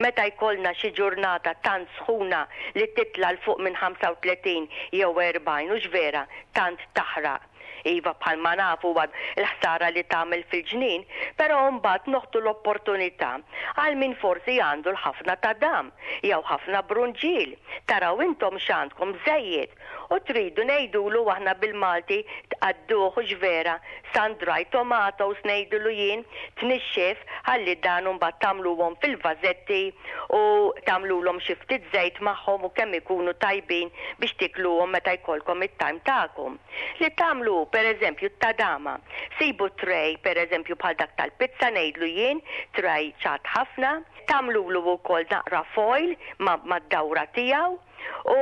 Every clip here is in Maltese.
Meta jkollna xi ġurnata tant sħuna li titla' 'l fuq minn 35 jew 40, hux vera, tant taħraq. Iva, bħalma nafu huwa l-ħsara li tagħmel fil-ġnien, però mbagħad noħdu l-opportunità għal min forsi għandu l-ħafna tadam jew ħafna brunġiel. Taraw intom x'għandkom żejjed u tridu ngħidulu aħna bil-Malti tqadduh hux vera, sun dried tomatoes ngħidulu jien, tnixxif ħalli dan imbagħad tagħmluhom fil-vażetti u tagħmlulhom xi ftit żejt magħhom u kemm ikunu tajbin biex tikluhom meta jkollkom it-time tagħkom. Li tagħmlu hu pereżempju t-tadama. Sibu tray pereżempju bħal dak tal-pizza ngħidlu jien, tray ċatt ħafna, tagħmlulu wkoll naqra foil mad-dawra tiegħu, U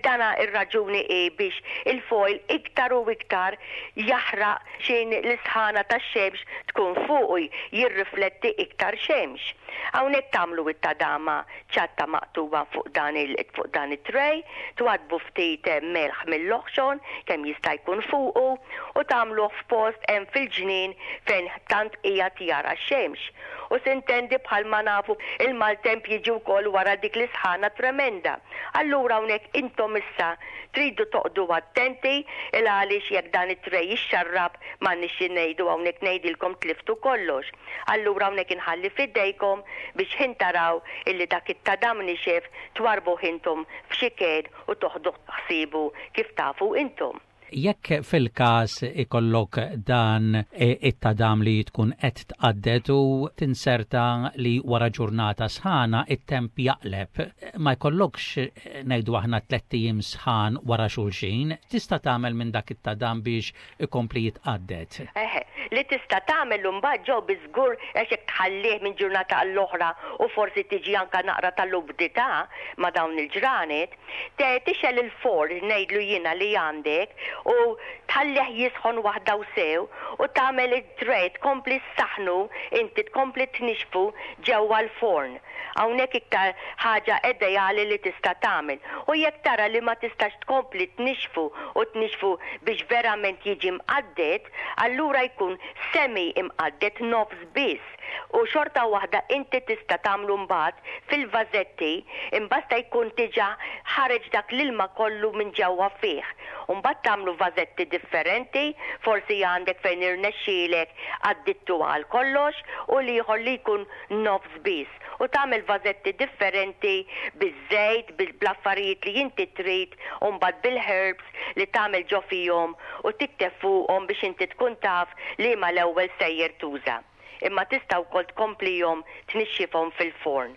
dana ir-raġuni hi biex il-foil iktar u iktar jaħraq x'in l-isħana tax-xemx tkun fuqu jirrifletti iktar xemx. Hawnhekk tagħmlu it-tadama ċatta maqtugħa fuq dan il fuq dan it-tray, twaddbu ftit melħ mill-oħxon kemm jista' jkun fuqu u tagħmluh f'post hemm fil-ġnien fejn tant qiegħed jara x-xemx. U sintendi bħalma nafu il-maltemp jiġi wkoll wara dik l-isħana tremenda. Allura hawnhekk intom issa tridu toqgħdu attenti il għaliex jekk dan it-tray jixxarrab m'għandniex xi ngħidu hawnhekk ngħidilkom tliftu kollox. Allura hawnhekk inħalli f'idejkom biex ħin taraw illi dak it-tadam nixef twarrbuh intom f'xi kejl u toħdu ħsiebu kif tafu intom. Jekk fil-każ ikollok dan it-tadam li tkun qed tqadded u tinserta li wara ġurnata sħana it-temp jaqleb, ma jkollokx ngħidu aħna tlett ijiem sħan wara xulxin, tista' tagħmel minn dak it-tadam biex ikompli jitqadded? Eħe, li tista' tagħmel imbagħad ġo biż-żgur għax jekk tħallih minn ġurnata għall-oħra u forsi tiġi anke naqra tal-umdità ma' dawn il-ġranet, Te tixgħel il-forn ngħidlu jiena li għandek u tħallih jisħon waħda u sew u tagħmel it-tray tkompli ssaħħnu inti tkompli tnixxfu ġewwa l-forn. Hawnhekk iktar ħaġa ideali li tista' tagħmel. U jekk tara li ma tistax tkompli tnixxfu u tnixxfu biex verament jiġi mqadded, allura jkun semi imqadded nofs biss. U xorta waħda inti tista' tagħmlu mbagħad fil-vażetti, imbasta jkun diġà ħareġ dak l-ilma kollu minn ġewwa fih. U mbagħad tagħmlu vażetti differenti, forsi għandek fejn irnexxielek għaddittu għal kollox u l-ieħor li jkun nofs biss. U tagħmel vażetti differenti biż-żejt, bl-affarijiet li inti trid u mbagħad bil-herbs li tagħmel ġo fihom u tikteb fuqhom biex inti tkun taf liema l-ewwel sejjer tuża. Imma tista' wkoll tkomplihom tnixxifhom fil-forn.